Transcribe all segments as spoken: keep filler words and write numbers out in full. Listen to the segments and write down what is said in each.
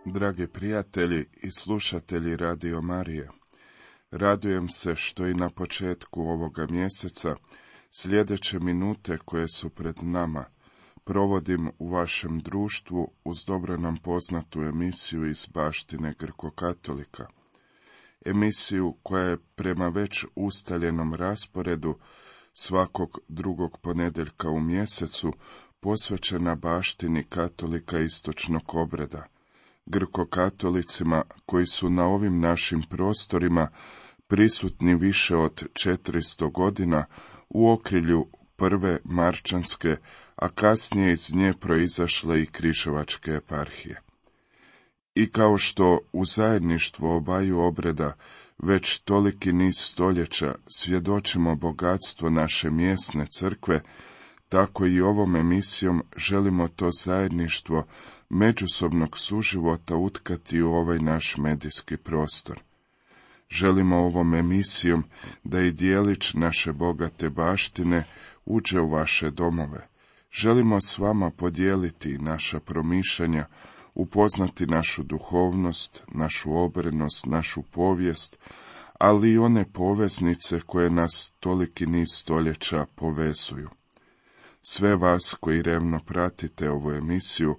Dragi prijatelji i slušatelji Radio Marije, radujem se što i na početku ovoga mjeseca sljedeće minute koje su pred nama provodim u vašem društvu uz dobro nam poznatu emisiju iz baštine Grko-katolika. Emisiju koja je prema već ustaljenom rasporedu svakog drugog ponedjeljka u mjesecu posvećena baštini katolika istočnog obreda, Grko-katolicima koji su na ovim našim prostorima prisutni više od četiristo godina u okrilju prve marčanske, a kasnije iz nje proizašle i križevačke eparhije. I kao što u zajedništvu obaju obreda već toliki niz stoljeća svjedočimo bogatstvo naše mjesne crkve, tako i ovom emisijom želimo to zajedništvo međusobnog suživota utkati u ovaj naš medijski prostor. Želimo ovom emisijom da i dijelić naše bogate baštine uđe u vaše domove. Želimo s vama podijeliti naša promišljanja, upoznati našu duhovnost, našu obrenost, našu povijest, ali i one poveznice koje nas toliki niz stoljeća povezuju. Sve vas koji revno pratite ovu emisiju,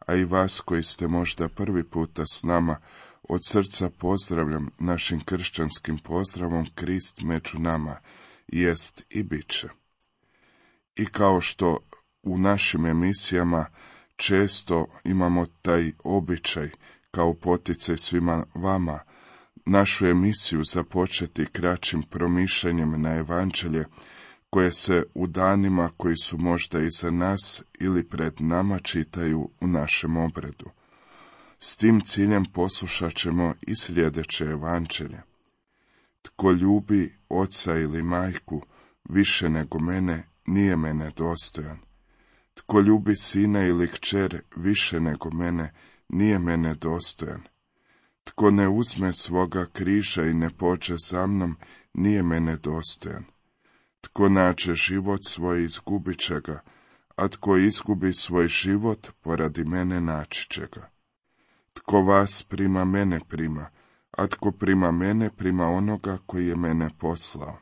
a i vas koji ste možda prvi puta s nama, od srca pozdravljam našim kršćanskim pozdravom Krist među nama, jest i bit će. I kao što u našim emisijama često imamo taj običaj, kao poticaj svima vama, našu emisiju započeti kraćim promišljanjem na evanđelje, koje se u danima koji su možda iza nas ili pred nama čitaju u našem obredu. S tim ciljem poslušat ćemo i sljedeće evanđelje. Tko ljubi oca ili majku više nego mene, nije mene dostojan. Tko ljubi sina ili kćer više nego mene, nije mene dostojan. Tko ne uzme svoga križa i ne pođe za mnom, nije mene dostojan. Tko nađe život svoj, izgubit će ga, a tko izgubi svoj život, poradi mene naći će ga. Tko vas prima, mene prima, a tko prima mene, prima onoga koji je mene poslao.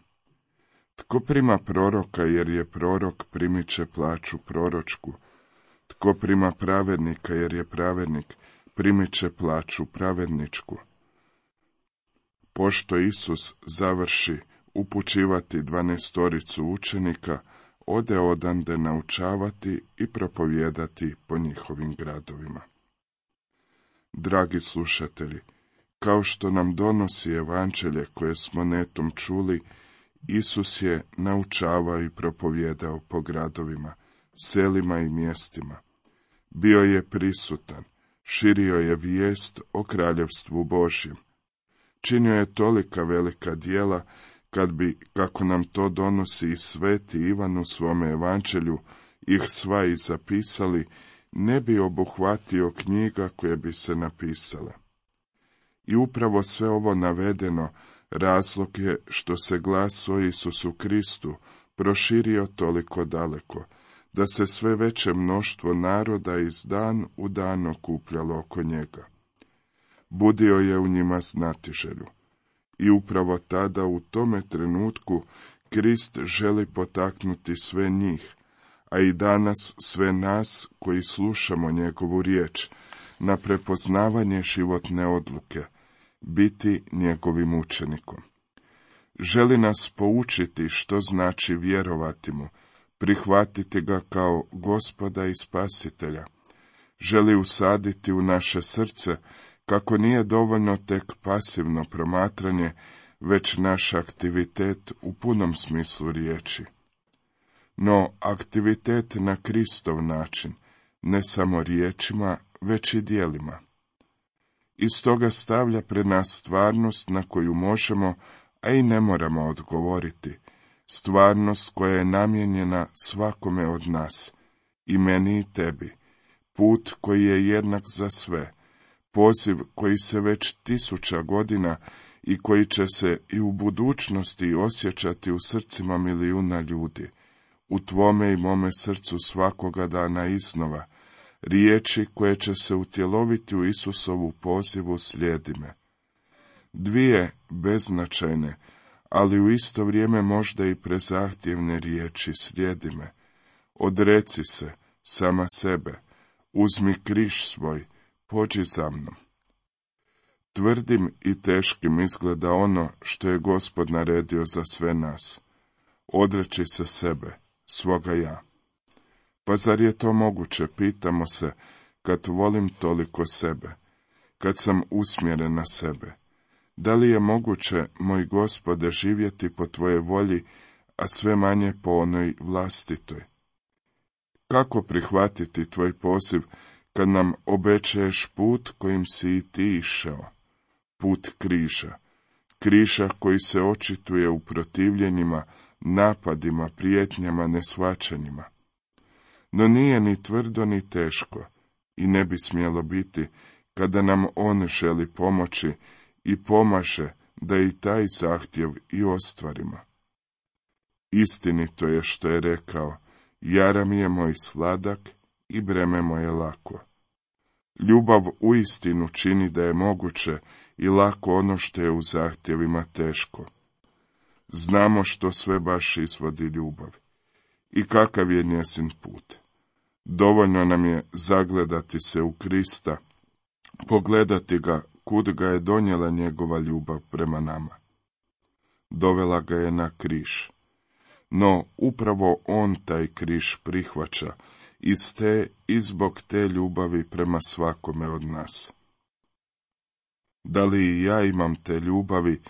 Tko prima proroka, jer je prorok, primit će plaću proročku. Tko prima pravednika, jer je pravednik, primit će plaću pravedničku. Pošto Isus završi upućivati dvanaestoricu učenika, ode odande naučavati i propovijedati po njihovim gradovima. Dragi slušatelji, kao što nam donosi evanđelje koje smo netom čuli, Isus je naučavao i propovijedao po gradovima, selima i mjestima. Bio je prisutan, širio je vijest o kraljevstvu Božjem. Činio je tolika velika djela, kad bi, kako nam to donosi i sveti Ivan u svome evanđelju, ih sva i zapisali, ne bi obuhvatio knjiga koje bi se napisale. I upravo sve ovo navedeno razlog je što se glas o Isusu Kristu proširio toliko daleko, da se sve veće mnoštvo naroda iz dan u dan okupljalo oko njega. Budio je u njima znatiželju. I upravo tada, u tome trenutku, Krist želi potaknuti sve njih, a i danas sve nas koji slušamo njegovu riječ, na prepoznavanje životne odluke, biti njegovim učenikom. Želi nas poučiti što znači vjerovati mu, prihvatiti ga kao Gospoda i Spasitelja. Želi usaditi u naše srce kako nije dovoljno tek pasivno promatranje, već naš aktivitet u punom smislu riječi. No, aktivitet na Kristov način, ne samo riječima, već i djelima. Iz toga stavlja pred nas stvarnost na koju možemo, a i ne moramo odgovoriti, stvarnost koja je namijenjena svakome od nas, i meni i tebi, put koji je jednak za sve, poziv koji se već tisuća godina i koji će se i u budućnosti osjećati u srcima milijuna ljudi, u tvome i mome srcu svakoga dana iznova, riječi koje će se utjeloviti u Isusovu pozivu slijedi me. Dvije beznačajne, ali u isto vrijeme možda i prezahtjevne riječi slijedi me. Odreci se, sama sebe, uzmi križ svoj, pođi za mnom. Tvrdim i teškim izgleda ono što je Gospod naredio za sve nas. Odreći se sebe, svoga ja. Pa zar je to moguće, pitamo se, kad volim toliko sebe, kad sam usmjeren na sebe? Da li je moguće, moj Gospode, živjeti po tvoje volji, a sve manje po onoj vlastitoj? Kako prihvatiti tvoj poziv, kad nam obećaješ put kojim si i ti išao? Put križa, križa koji se očituje u protivljenjima, napadima, prijetnjama, neshvaćanjima. No nije ni tvrdo ni teško, i ne bi smjelo biti, kada nam on želi pomoći i pomaže da i taj zahtjev i ostvarimo. Istinito je što je rekao, jara mi je moj sladak i breme moje lako. Ljubav uistinu čini da je moguće i lako ono što je u zahtjevima teško. Znamo što sve baš izvodi ljubav i kakav je njezin put. Dovoljno nam je zagledati se u Krista, pogledati ga kud ga je donijela njegova ljubav prema nama. Dovela ga je na križ. No upravo on taj križ prihvaća iz te i zbog te ljubavi prema svakome od nas. Da li i ja imam te ljubavi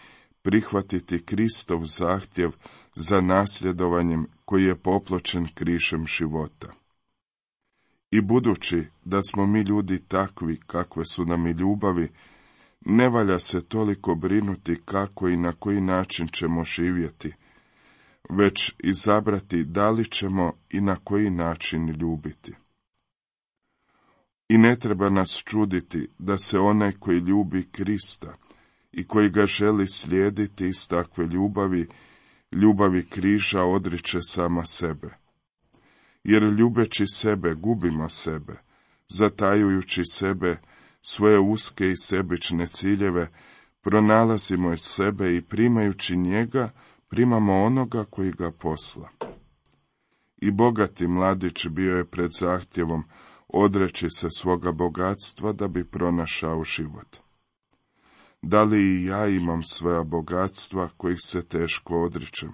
prihvatiti Kristov zahtjev za nasljedovanjem koji je popločen križem života? I budući da smo mi ljudi takvi kakve su nam i ljubavi, ne valja se toliko brinuti kako i na koji način ćemo živjeti, već izabrati da li ćemo i na koji način ljubiti. I ne treba nas čuditi da se onaj koji ljubi Krista i koji ga želi slijediti iz takve ljubavi, ljubavi križa odriče sama sebe. Jer ljubeći sebe gubimo sebe, zatajujući sebe, svoje uske i sebične ciljeve, pronalazimo iz sebe i primajući njega, primamo onoga koji ga posla. I bogati mladić bio je pred zahtjevom odreći se svoga bogatstva da bi pronašao život. Da li i ja imam svoja bogatstva kojih se teško odričem,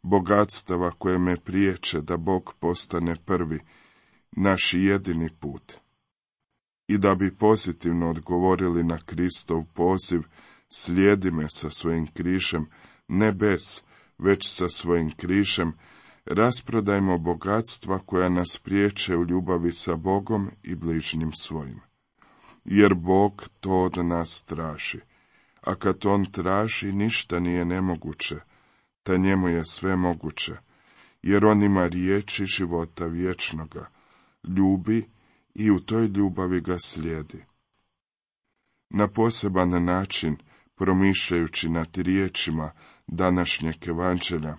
bogatstava koje me priječe da Bog postane prvi, naš jedini put? I da bi pozitivno odgovorili na Kristov poziv, slijedi me sa svojim križem, ne bez, već sa svojim križem, rasprodajmo bogatstva koja nas priječe u ljubavi sa Bogom i bližnjim svojim. Jer Bog to od nas traži, a kad on traži, ništa nije nemoguće, ta njemu je sve moguće, jer on ima riječi života vječnoga, ljubi i u toj ljubavi ga slijedi. Na poseban način, promišljajući nad riječima današnjeg evanđelja,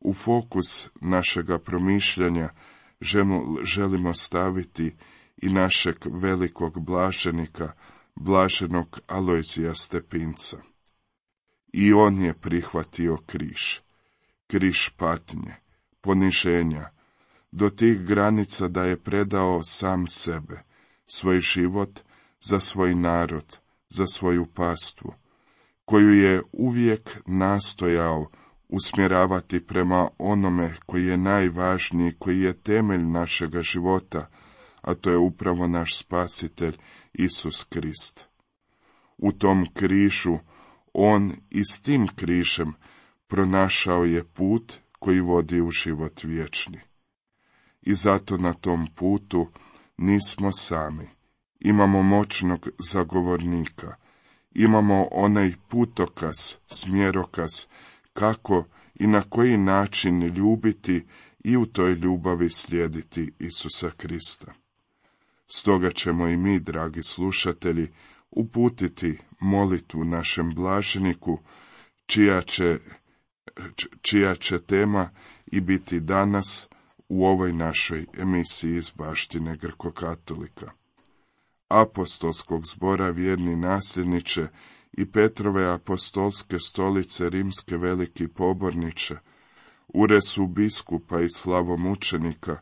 u fokus našega promišljanja želimo staviti i našeg velikog blaženika, blaženog Alojzija Stepinca. I on je prihvatio križ, križ patnje, poniženja, do tih granica da je predao sam sebe, svoj život za svoj narod, za svoju pastvu, koju je uvijek nastojao usmjeravati prema onome koji je najvažniji, koji je temelj našega života, a to je upravo naš spasitelj Isus Krist. U tom križu on i s tim križem pronašao je put koji vodi u život vječni. I zato na tom putu nismo sami. Imamo moćnog zagovornika. Imamo onaj putokaz, smjerokaz, kako i na koji način ljubiti i u toj ljubavi slijediti Isusa Krista. Stoga ćemo i mi, dragi slušatelji, uputiti molitvu našem blaženiku, čija će, čija će tema i biti danas u ovoj našoj emisiji iz baštine Grko-katolika. Apostolskog zbora vjerni nasljedniče i Petrove apostolske stolice rimske veliki poborniče, uresu biskupa i slavomučenika,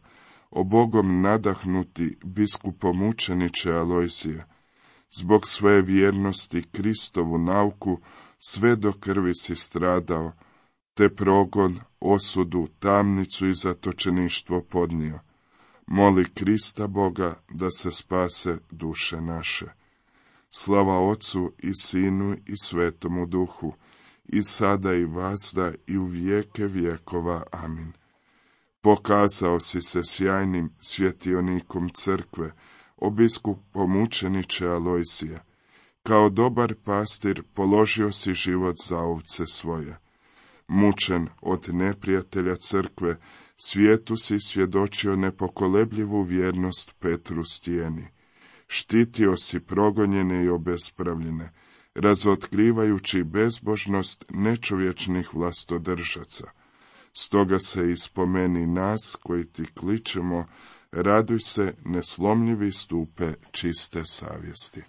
o Bogom nadahnuti biskupomučeniče Alojzije, zbog svoje vjernosti Kristovu nauku sve do krvi si stradao, te progon, osudu, tamnicu i zatočeništvo podnio. Moli Krista Boga da se spase duše naše. Slava Otcu i Sinu i Svetomu Duhu, i sada i vazda i u vijeke vjekova. Amin. Pokazao si se sjajnim svjetionikom crkve, o biskupomučeniče Alojzije. Kao dobar pastir položio si život za ovce svoje. Mučen od neprijatelja crkve, svijetu si svjedočio nepokolebljivu vjernost Petru stijeni. Štitio si progonjene i obespravljene, razotkrivajući bezbožnost nečovječnih vlastodržaca. Stoga se ispomeni nas koji ti kličemo, raduj se, neslomljivi stupe čiste savjesti.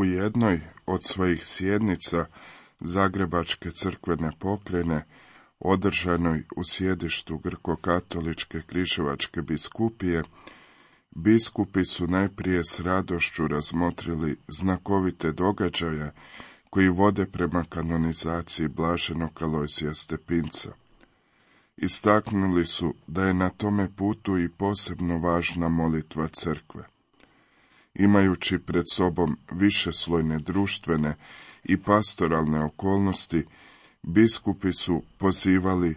U jednoj od svojih sjednica Zagrebačke crkvene pokrajine, održanoj u sjedištu Grko-katoličke križevačke biskupije, biskupi su najprije s radošću razmotrili znakovite događaje koji vode prema kanonizaciji blaženog Alojzija Stepinca. Istaknuli su da je na tome putu i posebno važna molitva crkve. Imajući pred sobom višeslojne društvene i pastoralne okolnosti, biskupi su pozivali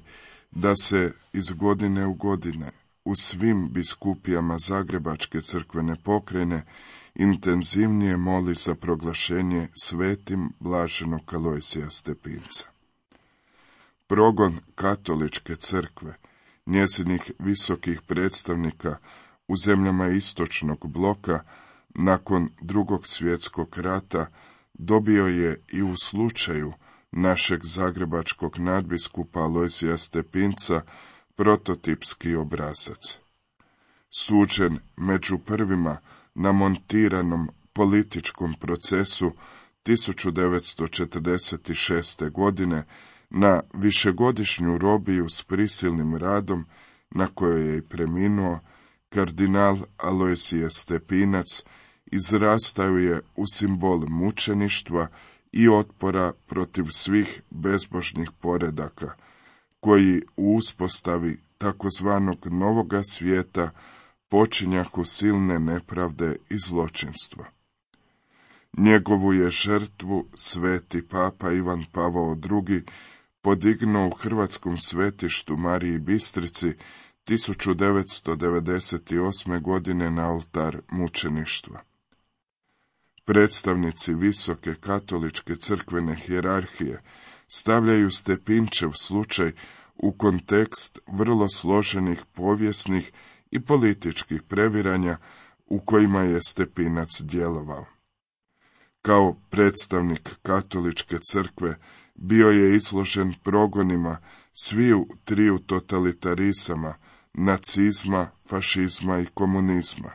da se iz godine u godine u svim biskupijama Zagrebačke crkvene pokrajine intenzivnije moli za proglašenje svetim blaženog Alojzija Stepinca. Progon katoličke crkve, njezinih visokih predstavnika u zemljama istočnog bloka nakon Drugog svjetskog rata dobio je i u slučaju našeg zagrebačkog nadbiskupa Alojzija Stepinca prototipski obrazac. Suđen među prvima na montiranom političkom procesu tisuću devetsto četrdeset šeste. godine na višegodišnju robiju s prisilnim radom, na kojoj je i preminuo, kardinal Alojzije Stepinac izrastao je u simbol mučeništva i otpora protiv svih bezbožnih poredaka, koji u uspostavi takozvanog novoga svijeta počinjahu silne nepravde i zločinstva. Njegovu je žrtvu sveti papa Ivan Pavao drugi podignuo u hrvatskom svetištu Mariji Bistrici tisuću devetsto devedeset osme. godine na oltar mučeništva. Predstavnici visoke katoličke crkvene hijerarhije stavljaju Stepinčev slučaj u kontekst vrlo složenih povijesnih i političkih previranja u kojima je Stepinac djelovao. Kao predstavnik katoličke crkve bio je izložen progonima sviju triju totalitarizama, nacizma, fašizma i komunizma.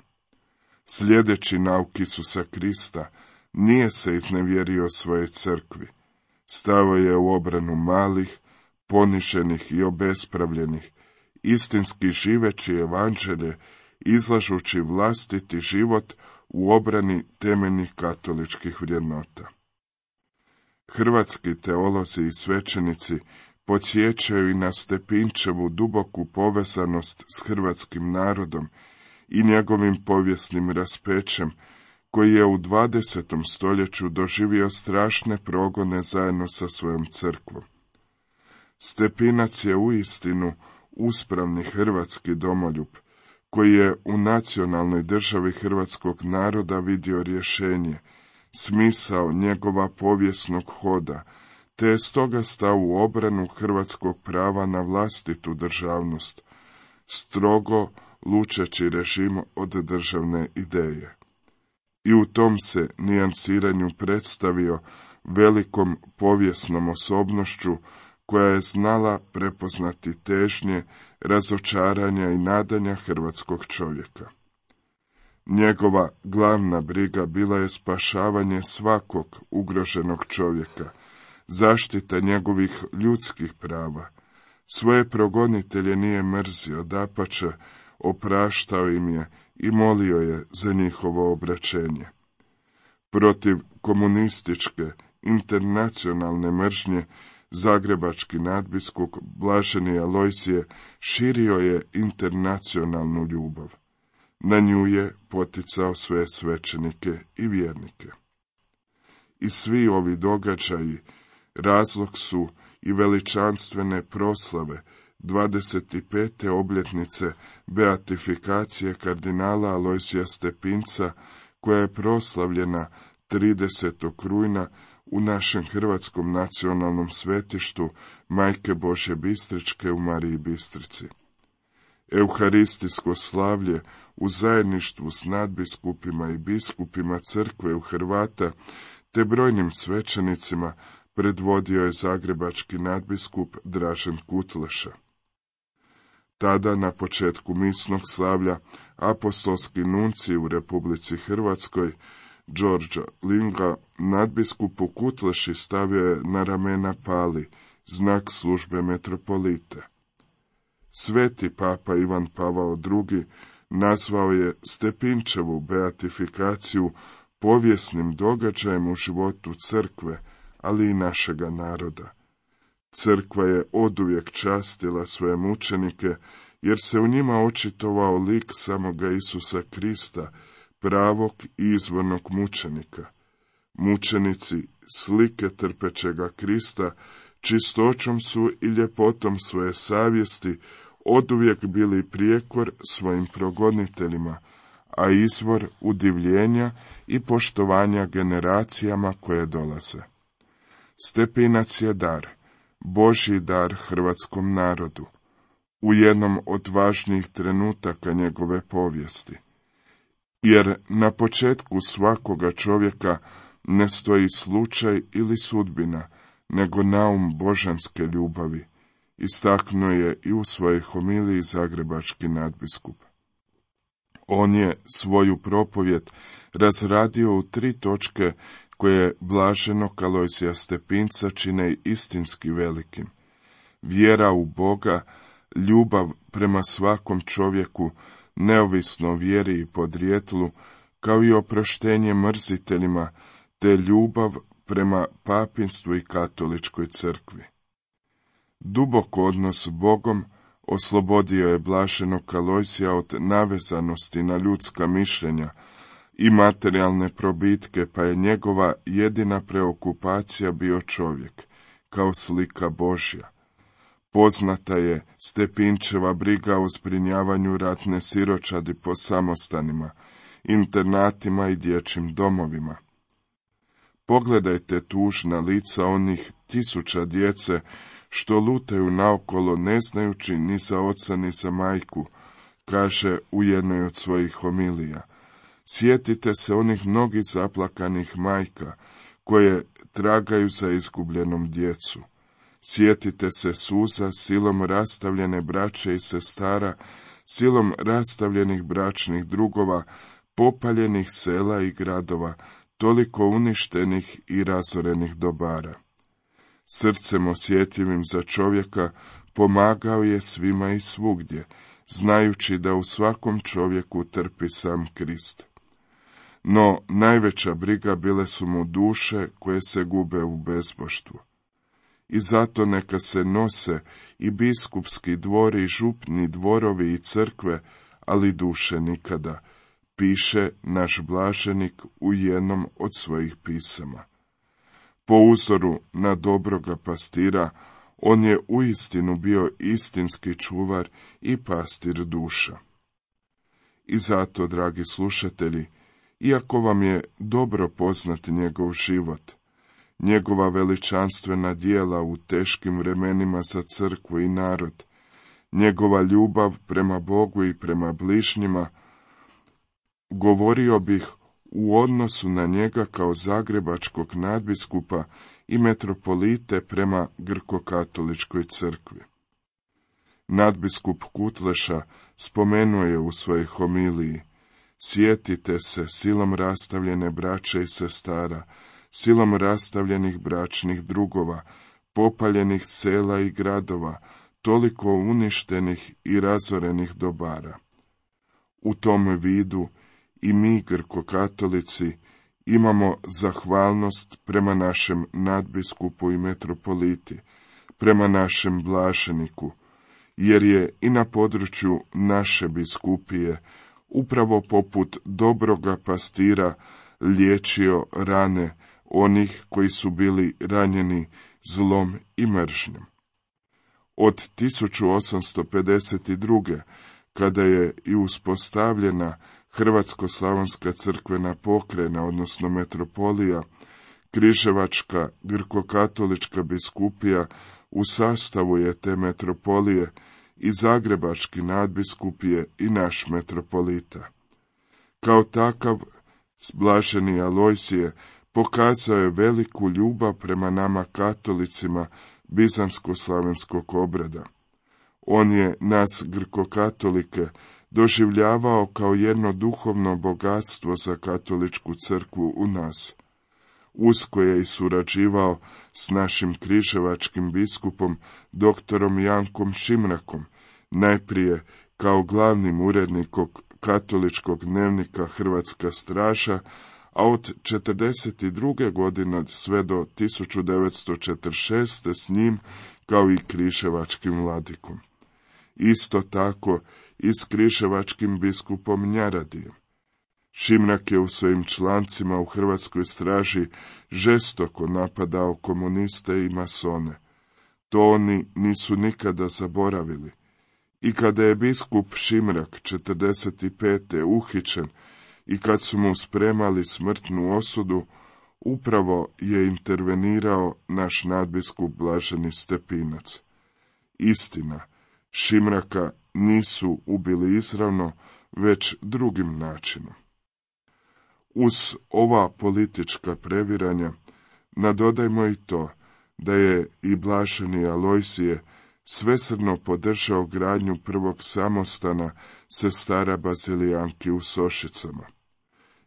Sljedeći nauk Isusa Krista, nije se iznevjerio svoje crkvi. Stao je u obranu malih, poniženih i obespravljenih, istinski živeći evanđelje, izlažući vlastiti život u obrani temeljnih katoličkih vrijednota. Hrvatski teolozi i svećenici podsjećaju i na Stepinčevu duboku povezanost s hrvatskim narodom i njegovim povijesnim raspećem, koji je u dvadesetom stoljeću doživio strašne progone zajedno sa svojom crkvom. Stepinac je uistinu uspravni hrvatski domoljub, koji je u nacionalnoj državi hrvatskog naroda vidio rješenje, smisao njegova povijesnog hoda, te je stoga stao u obranu hrvatskog prava na vlastitu državnost, strogo lučeći režim od državne ideje. I u tom se nijansiranju predstavio velikom povijesnom osobnošću koja je znala prepoznati težnje, razočaranja i nadanja hrvatskog čovjeka. Njegova glavna briga bila je spašavanje svakog ugroženog čovjeka, zaštita njegovih ljudskih prava. Svoje progonitelje nije mrzio, dapače, opraštao im je i molio je za njihovo obraćenje. Protiv komunističke, internacionalne mržnje, zagrebački nadbiskup blaženi Alojzije širio je internacionalnu ljubav. Na nju je poticao sve svećenike i vjernike. I svi ovi događaji razlog su i veličanstvene proslave dvadeset pete obljetnice beatifikacije kardinala Alojzija Stepinca, koja je proslavljena tridesetog rujna u našem hrvatskom nacionalnom svetištu Majke Božje Bistričke u Mariji Bistrici. Euharistijsko slavlje u zajedništvu s nadbiskupima i biskupima crkve u Hrvata te brojnim svećenicima predvodio je zagrebački nadbiskup Dražen Kutleša. Tada, na početku misnog slavlja, apostolski nuncij u Republici Hrvatskoj, Đorđa Linga, nadbiskupu Kutleši stavio je na ramena pali, znak službe metropolita. Sveti papa Ivan Pavao drugi nazvao je Stepinčevu beatifikaciju povijesnim događajem u životu crkve, ali i našega naroda. Crkva je oduvijek častila svoje mučenike, jer se u njima očitovao lik samoga Isusa Krista, pravog i izvornog mučenika. Mučenici, slike trpećega Krista, čistoćom su i ljepotom svoje savjesti oduvijek bili prijekor svojim progoniteljima, a izvor udivljenja i poštovanja generacijama koje dolaze. Stepinac je dar, Božji dar hrvatskom narodu, u jednom od važnijih trenutaka njegove povijesti. Jer na početku svakoga čovjeka ne stoji slučaj ili sudbina, nego naum božanske ljubavi, istaknuo je i u svojoj homiliji zagrebački nadbiskup. On je svoju propovjed razradio u tri točke koje blaženog Alojsija Stepinca čine istinski velikim. Vjera u Boga, ljubav prema svakom čovjeku, neovisno o vjeri i podrijetlu, kao i oproštenje mrziteljima, te ljubav prema papinstvu i katoličkoj crkvi. Dubok odnos s Bogom oslobodio je blaženog Alojsija od navezanosti na ljudska mišljenja i materijalne probitke, pa je njegova jedina preokupacija bio čovjek, kao slika Božja. Poznata je Stepinčeva briga o zbrinjavanju ratne siročadi po samostanima, internatima i dječjim domovima. Pogledajte tužna lica onih tisuća djece što lutaju naokolo ne znajući ni za oca ni za majku, kaže u jednoj od svojih homilija. Sjetite se onih mnogih zaplakanih majka koje tragaju za izgubljenom djecu. Sjetite se suza silom rastavljene braće i sestara, silom rastavljenih bračnih drugova, popaljenih sela i gradova, toliko uništenih i razorenih dobara. Srcem osjetljivim za čovjeka pomagao je svima i svugdje, znajući da u svakom čovjeku trpi sam Krist. No najveća briga bile su mu duše koje se gube u bezboštvu. I zato neka se nose i biskupski dvori, i župni dvorovi i crkve, ali duše nikada, piše naš blaženik u jednom od svojih pisama. Po uzoru na dobroga pastira, on je uistinu bio istinski čuvar i pastir duša. I zato, dragi slušatelji, iako vam je dobro poznati njegov život, njegova veličanstvena djela u teškim vremenima za crkvu i narod, njegova ljubav prema Bogu i prema bližnjima, govorio bih u odnosu na njega kao zagrebačkog nadbiskupa i metropolite prema grkokatoličkoj crkvi. Nadbiskup Kutleša spomenuo je u svojoj homiliji: sjetite se silom rastavljene braće i sestara, silom rastavljenih bračnih drugova, popaljenih sela i gradova, toliko uništenih i razorenih dobara. U tom vidu i mi, grkokatolici, imamo zahvalnost prema našem nadbiskupu i metropoliti, prema našem blaženiku, jer je i na području naše biskupije, upravo poput dobroga pastira, liječio rane onih koji su bili ranjeni zlom i mržnjom. Od tisuću osamsto pedeset druge. kada je i uspostavljena Hrvatsko-slavonska crkvena pokrajina, odnosno metropolija, Križevačka grkokatolička biskupija u sastavu je te metropolije i Zagrebački nadbiskup je i naš metropolita. Kao takav, blaženi Alojsije pokazao je veliku ljubav prema nama katolicima bizansko-slavenskog obreda. On je nas grkokatolike doživljavao kao jedno duhovno bogatstvo za katoličku crkvu u nas. Usko je i surađivao s našim križevačkim biskupom doktorom Jankom Šimrakom, najprije kao glavnim urednikom katoličkog dnevnika Hrvatska straža, a od četrdeset druge. godine sve do tisuću devetsto četrdeset šeste. s njim kao i križevačkim vladikom. Isto tako i s križevačkim biskupom Njaradijem. Šimrak je u svojim člancima u Hrvatskoj straži žestoko napadao komuniste i masone. To oni nisu nikada zaboravili. I kada je biskup Šimrak četrdeset pete. uhićen i kad su mu spremali smrtnu osudu, upravo je intervenirao naš nadbiskup blaženi Stepinac. Istina, Šimraka nisu ubili izravno, već drugim načinom. Uz ova politička previranja nadodajmo i to da je i blaženi Alojsije svesrdno podržao gradnju prvog samostana sestara Bazilijanki u Sošicama.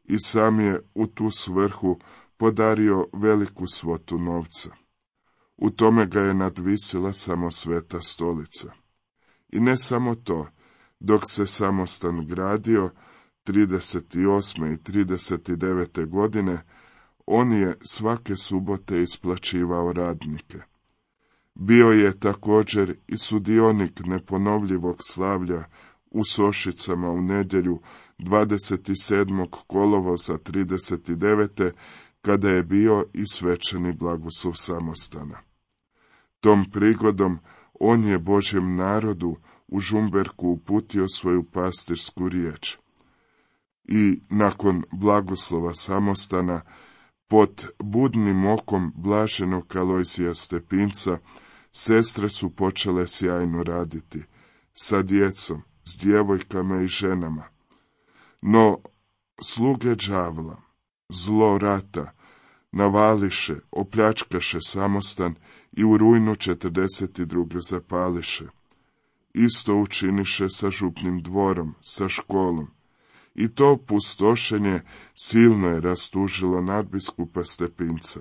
I sam je u tu svrhu podario veliku svotu novca. U tome ga je nadvisila samo Sveta stolica. I ne samo to, dok se samostan gradio, trideset osme i trideset devete godine, on je svake subote isplaćivao radnike. Bio je također i sudionik neponovljivog slavlja u Sošicama u nedjelju dvadeset sedmog kolovoza trideset devete kada je bio i svečani blagoslov samostana. Tom prigodom on je Božjem narodu u Žumberku uputio svoju pastirsku riječ. I nakon blagoslova samostana, pod budnim okom blaženog Alojzija Stepinca, sestre su počele sjajno raditi, sa djecom, s djevojkama i ženama. No, sluge đavla, zlo rata, navališe, opljačkaše samostan i u rujnu četrdeset druge zapališe. Isto učiniše sa župnim dvorom, sa školom. I to pustošenje silno je rastužilo nadbiskupa Stepinca.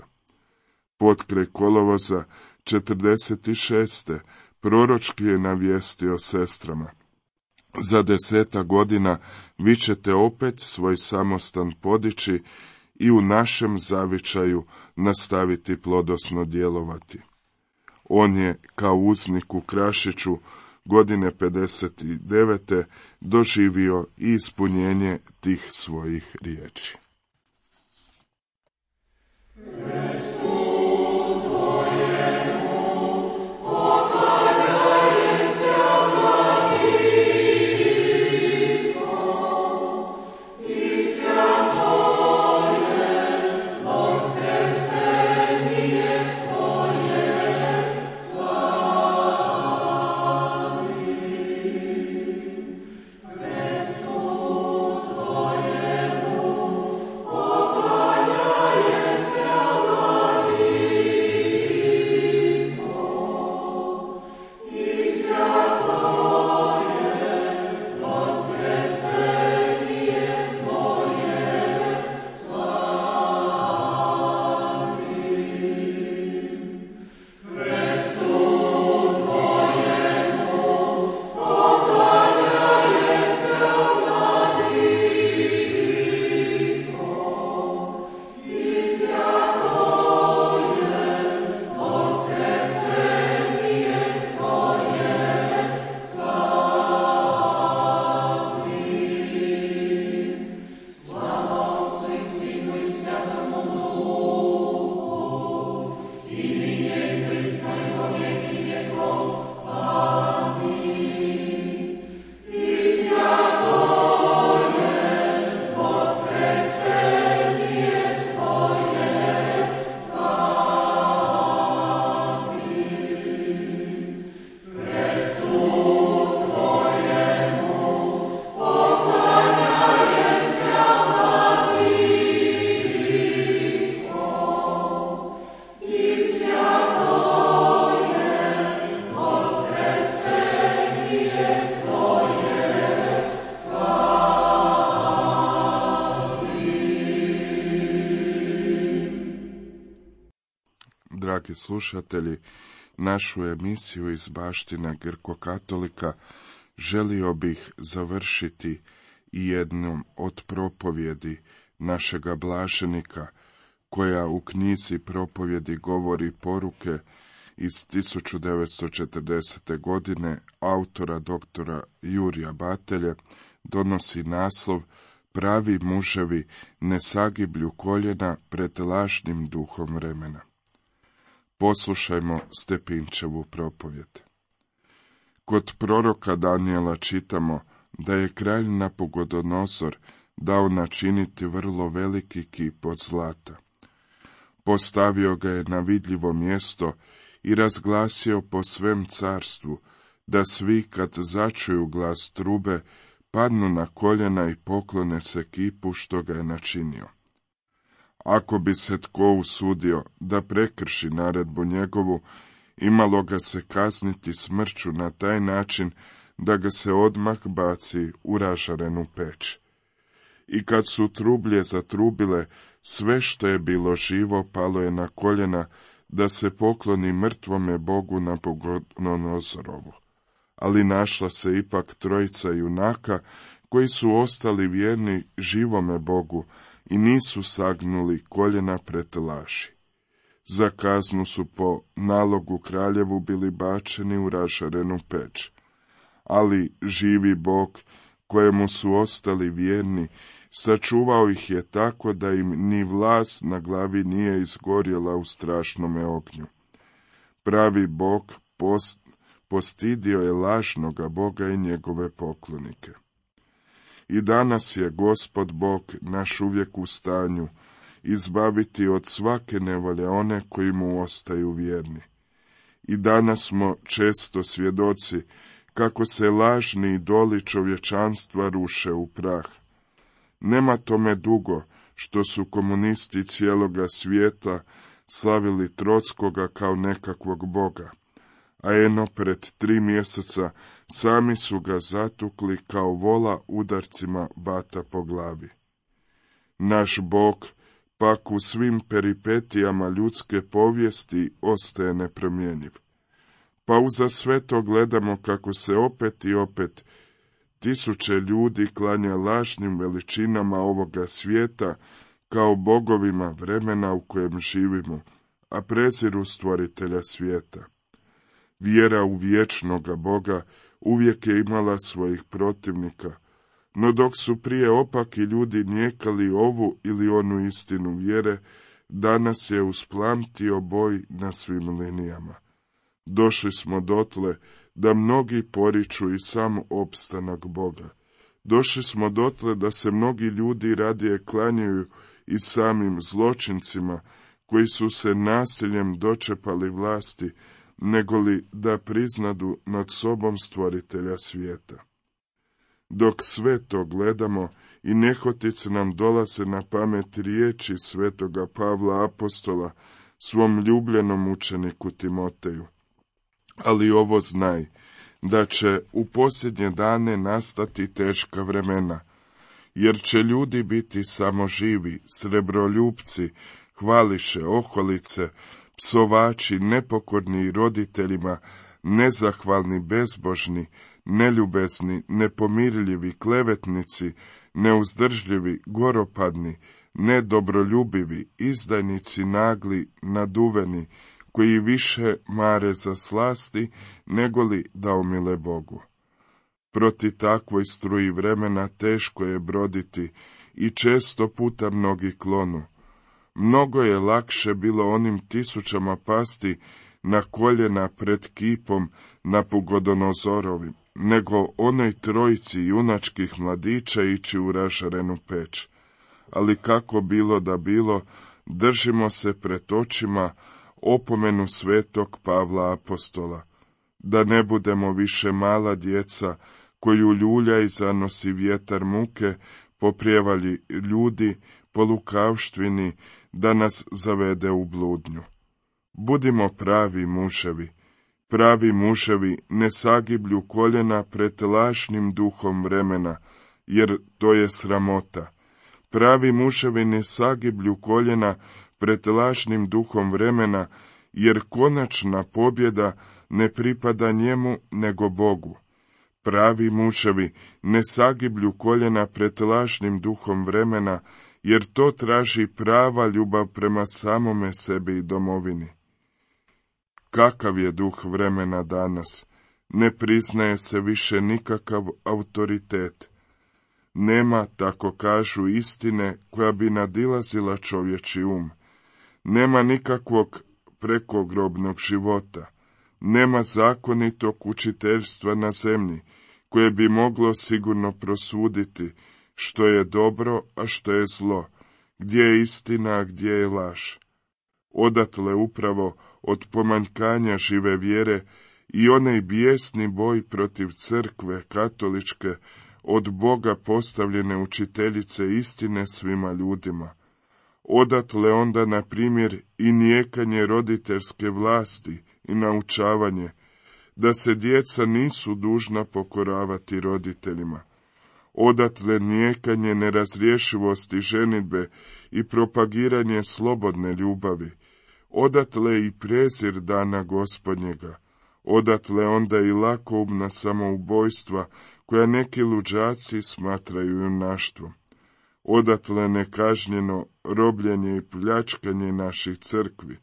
Potkraj kolovoza četrdeset šeste proročki je navijestio sestrama: za deseta godina vi ćete opet svoj samostan podići i u našem zavičaju nastaviti plodosno djelovati. On je, kao uznik u Krašiću, godine pedeset devete doživio i ispunjenje tih svojih riječi. Dragi slušatelji, našu emisiju iz baština Grko-katolika želio bih završiti i jednom od propovjedi našega blaženika, koja u knjizi propovjedi govori poruke iz tisuću devetsto četrdesete. godine autora doktora Jurija Batelje, donosi naslov Pravi muževi ne sagiblju koljena pred lažnim duhom vremena. Poslušajmo Stepinčevu propovjed. Kod proroka Danijela čitamo da je kralj Napugodonosor dao načiniti vrlo veliki kip od zlata. Postavio ga je na vidljivo mjesto i razglasio po svem carstvu, da svi kad začuju glas trube, padnu na koljena i poklone se kipu što ga je načinio. Ako bi se tko usudio da prekrši naredbu njegovu, imalo ga se kazniti smrću na taj način da ga se odmah baci u ražarenu peć. I kad su trublje zatrubile, Sve što je bilo živo palo je na koljena da se pokloni mrtvome Bogu Nabukodonozorovu. Ali našla se ipak trojica junaka koji su ostali vjerni živome Bogu i nisu sagnuli koljena pred laži. Za kaznu su po nalogu kraljevu bili bačeni u ražarenu peć. Ali živi Bog, kojemu su ostali vjerni, sačuvao ih je tako da im ni vlas na glavi nije izgorjela u strašnome ognju. Pravi Bog post, postidio je lažnoga Boga i njegove poklonike. I danas je Gospod Bog naš uvijek u stanju izbaviti od svake nevolje one koji mu ostaju vjerni. I danas smo često svjedoci kako se lažni idoli čovječanstva ruše u prah. Nema tome dugo što su komunisti cijeloga svijeta slavili Trockoga kao nekakvog boga, a eno pred tri mjeseca sami su ga zatukli kao vola udarcima bata po glavi. Naš Bog pak u svim peripetijama ljudske povijesti ostaje nepromjenjiv. Pa uza sve to gledamo kako se opet i opet tisuće ljudi klanja lažnim veličinama ovoga svijeta kao bogovima vremena u kojem živimo, a preziru stvoritelja svijeta. Vjera u vječnoga Boga uvijek je imala svojih protivnika, no dok su prije opaki ljudi nijekali ovu ili onu istinu vjere, danas je usplamtio boj na svim linijama. Došli smo dotle da mnogi poriču i sam opstanak Boga. Došli smo dotle da se mnogi ljudi radije klanjaju i samim zločincima koji su se nasiljem dočepali vlasti, negoli da priznadu nad sobom stvoritelja svijeta. Dok sve to gledamo i nehotice nam dolaze na pamet riječi svetoga Pavla apostola svom ljubljenom učeniku Timoteju. Ali ovo znaj, da će u posljednje dane nastati teška vremena, jer će ljudi biti samo živi, srebroljupci, hvališe, oholice, psovači, nepokorni roditeljima, nezahvalni, bezbožni, neljubezni, nepomirljivi, klevetnici, neuzdržljivi, goropadni, nedobroljubivi, izdajnici, nagli, naduveni, koji više mare za slasti, negoli da umile Bogu. Proti takvoj struji vremena teško je broditi i često puta mnogi klonu. Mnogo je lakše bilo onim tisućama pasti na koljena pred kipom Nabukodonozorovim, nego onoj trojici junačkih mladića ići u ražarenu peć. Ali kako bilo da bilo, držimo se pred očima opomenu svetog Pavla apostola, da ne budemo više mala djeca koju ljulja i zanosi vjetar muke, poprijevalji ljudi, po lukavštvini, da nas zavede u bludnju. Budimo pravi muževi, pravi muževi ne sagiblju koljena pred lažnim duhom vremena, jer to je sramota. Pravi muževi ne sagiblju koljena pred lažnim duhom vremena, jer konačna pobjeda ne pripada njemu nego Bogu. Pravi muževi ne sagiblju koljena pred lažnim duhom vremena, jer to traži prava ljubav prema samome sebi i domovini. Kakav je duh vremena danas? Ne priznaje se više nikakav autoritet. Nema, tako kažu, istine koja bi nadilazila čovječi um. Nema nikakvog prekogrobnog života. Nema zakonitog učiteljstva na zemlji, koje bi moglo sigurno prosuditi što je dobro, a što je zlo, gdje je istina, a gdje je laž. Odatle upravo od pomanjkanja žive vjere i onaj bijesni boj protiv crkve katoličke, od Boga postavljene učiteljice istine svima ljudima. Odatle onda, na primjer, i nijekanje roditeljske vlasti i naučavanje, da se djeca nisu dužna pokoravati roditeljima. odatle nijekanje nerazrješivosti ženidbe i propagiranje slobodne ljubavi, odatle i prezir dana Gospodnjega, odatle onda i lakoumna samoubojstva koja neki luđaci smatraju junaštvom, odatle nekažnjeno robljenje i pljačkanje naših crkvi,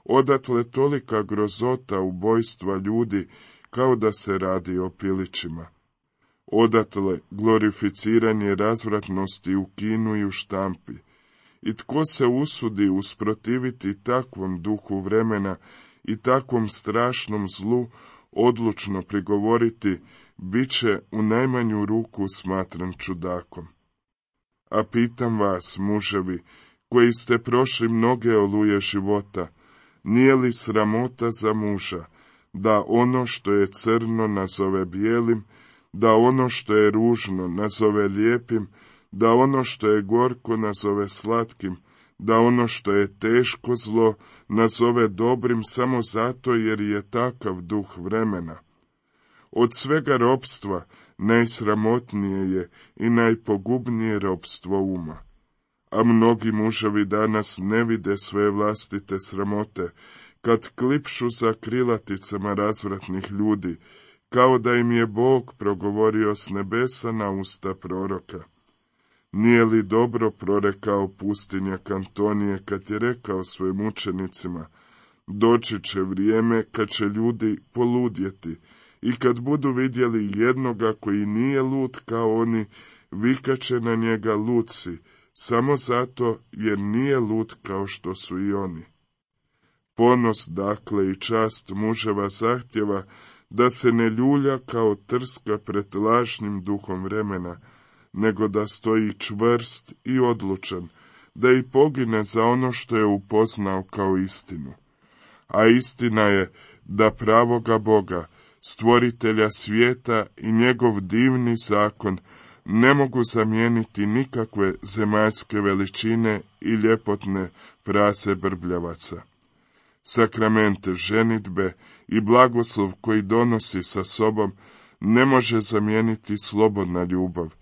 odatle tolika grozota ubojstva ljudi kao da se radi o pilićima, odatle glorificiranje razvratnosti u kinu i u štampi. I tko se usudi usprotiviti takvom duhu vremena i takvom strašnom zlu, odlučno prigovoriti, bit će u najmanju ruku smatran čudakom. A pitam vas, muževi, koji ste prošli mnoge oluje života, nije li sramota za muža, da ono što je crno nazove bijelim, da ono što je ružno nazove lijepim, da ono što je gorko nazove slatkim, da ono što je teško zlo nazove dobrim samo zato jer je takav duh vremena. Od svega ropstva najsramotnije je i najpogubnije ropstvo uma. A mnogi muževi danas ne vide svoje vlastite sramote, kad klipšu za krilaticama razvratnih ljudi, kao da im je Bog progovorio s nebesa na usta proroka. Nije li dobro prorekao pustinjak Antonije kad je rekao svojim učenicima, doći će vrijeme kad će ljudi poludjeti i kad budu vidjeli jednoga koji nije lud kao oni, vikaće na njega lud si, samo zato jer nije lud kao što su i oni. Ponos, dakle, i čast muževa zahtjeva da se ne ljulja kao trska pred lažnim duhom vremena, nego da stoji čvrst i odlučan, da i pogine za ono što je upoznao kao istinu. A istina je da pravoga Boga, stvoritelja svijeta i njegov divni zakon ne mogu zamijeniti nikakve zemaljske veličine i ljepotne frase brbljavaca. Sakrament ženidbe i blagoslov koji donosi sa sobom ne može zamijeniti slobodna ljubav.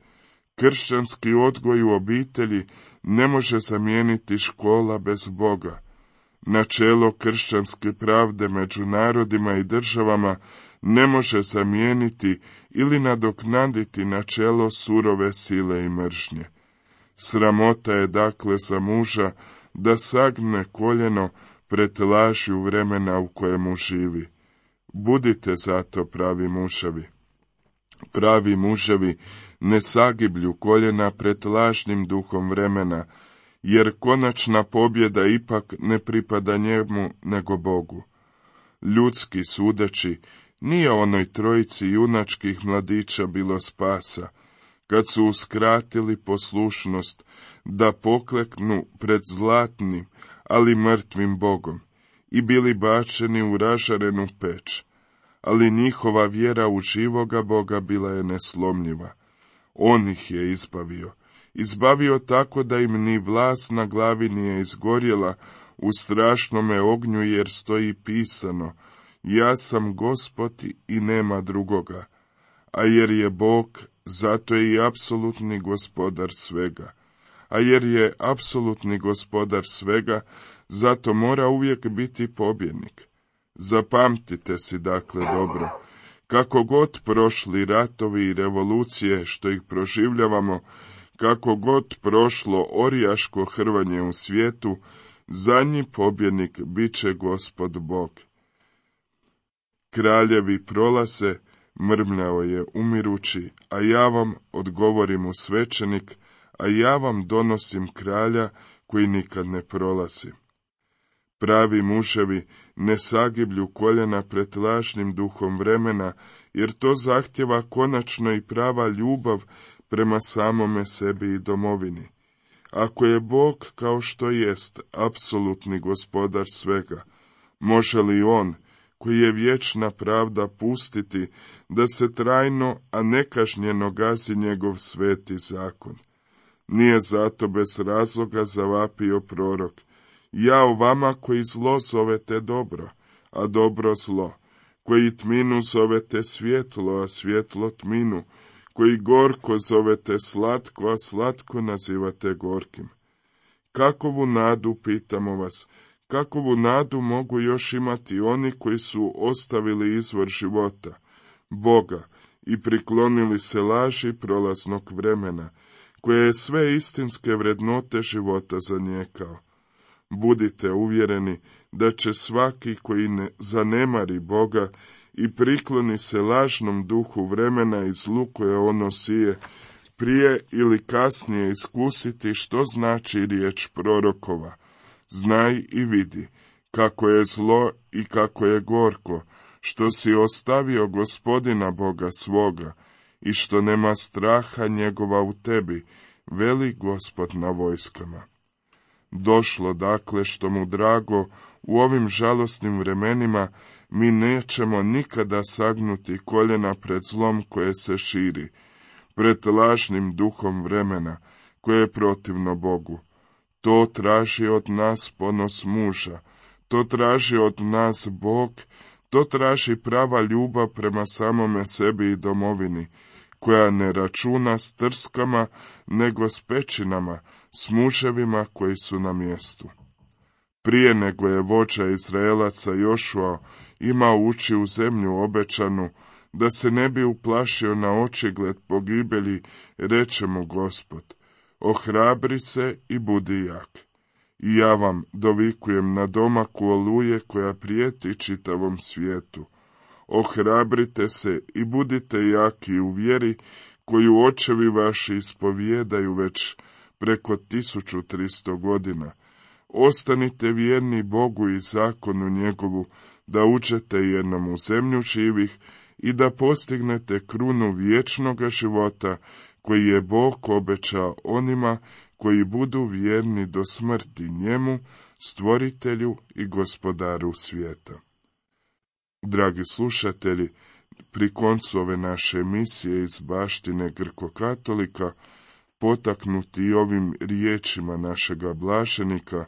Kršćanski odgoj u obitelji ne može zamijeniti škola bez Boga. Načelo kršćanske pravde među narodima i državama ne može zamijeniti ili nadoknaditi načelo surove sile i mržnje. Sramota je dakle za muža da sagne koljeno pred lažju vremena u kojemu živi. Budite zato pravi muževi. Pravi muževi ne sagiblju koljena pred lažnim duhom vremena, jer konačna pobjeda ipak ne pripada njemu nego Bogu. Ljudski sudeći, nije onoj trojici junačkih mladića bilo spasa, kad su uskratili poslušnost da pokleknu pred zlatnim, ali mrtvim Bogom, i bili bačeni u ražarenu peć, ali njihova vjera u živoga Boga bila je neslomljiva. On ih je izbavio, izbavio tako da im ni vlas na glavi nije izgorjela u strašnome ognju, jer stoji pisano, ja sam Gospod i nema drugoga, a jer je Bog, zato je i apsolutni gospodar svega. A jer je apsolutni gospodar svega, zato mora uvijek biti pobjednik. Zapamtite si dakle dobro, kako god prošli ratovi i revolucije što ih proživljavamo, kako god prošlo orijaško hrvanje u svijetu, zadnji pobjednik bit će Gospod Bog. Kraljevi prolaze, mrmljao je umirući, a ja vam, odgovori mu svećenik, a ja vam donosim kralja koji nikad ne prolazi. Pravi muževi ne sagiblju koljena pred lažnim duhom vremena, jer to zahtjeva konačno i prava ljubav prema samome sebi i domovini. Ako je Bog kao što jest apsolutni gospodar svega, može li on, koji je vječna pravda, pustiti da se trajno, a nekažnjeno gazi njegov sveti zakon? Nije zato bez razloga zavapio prorok, jao vama koji zlo zovete dobro, a dobro zlo, koji tminu zovete svjetlo, a svjetlo tminu, koji gorko zovete slatko, a slatko nazivate gorkim. Kakovu nadu, pitamo vas, kakovu nadu mogu još imati oni koji su ostavili izvor života, Boga, i priklonili se laži prolaznog vremena, koje je sve istinske vrednote života zanijekao. Budite uvjereni da će svaki koji ne zanemari Boga i prikloni se lažnom duhu vremena i zlu koje ono sije, prije ili kasnije iskusiti što znači riječ prorokova. Znaj i vidi kako je zlo i kako je gorko, što si ostavio Gospodina Boga svoga i što nema straha njegova u tebi, veli Gospod na vojskama. Došlo dakle što mu drago, u ovim žalosnim vremenima mi nećemo nikada sagnuti koljena pred zlom koje se širi, pred lažnim duhom vremena koje je protivno Bogu. To traži od nas ponos muža, to traži od nas Bog, to traži prava ljubav prema samome sebi i domovini, koja ne računa s trskama, nego s pećinama, s muževima koji su na mjestu. Prije nego je vođa Izraelaca Jošua imao ući u zemlju obećanu, da se ne bi uplašio na očigled pogibelji, reče mu Gospod, ohrabri se i budi jak. I ja vam dovikujem na domaku oluje koja prijeti čitavom svijetu. Ohrabrite se i budite jaki u vjeri koju očevi vaši ispovijedaju već preko tisuću tristo godina. Ostanite vjerni Bogu i zakonu njegovu, da uđete jednom u zemlju živih i da postignete krunu vječnoga života koji je Bog obećao onima koji budu vjerni do smrti njemu, stvoritelju i gospodaru svijeta. Dragi slušatelji, pri koncu ove naše emisije iz baštine Grko-katolika, potaknuti ovim riječima našega blaženika,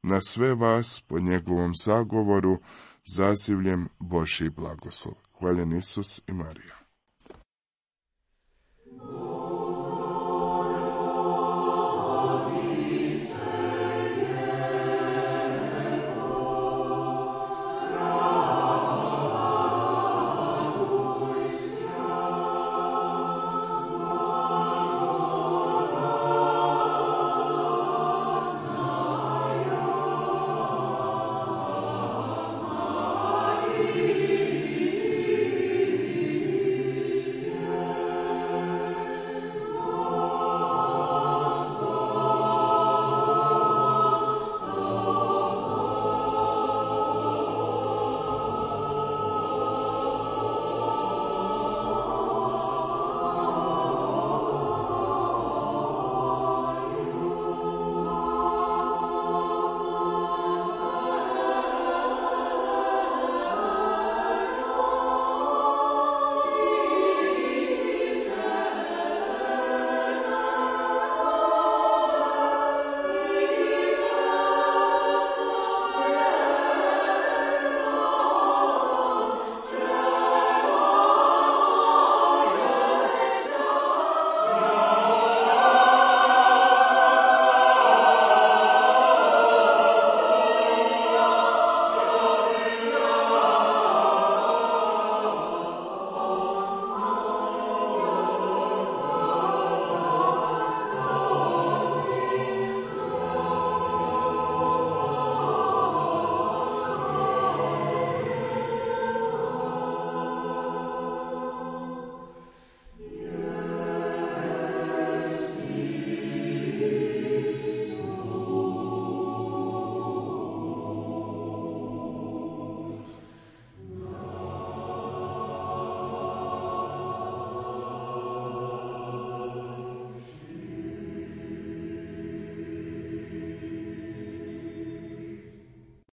na sve vas po njegovom zagovoru zazivljem Božji blagoslov. Hvaljen Isus i Marija.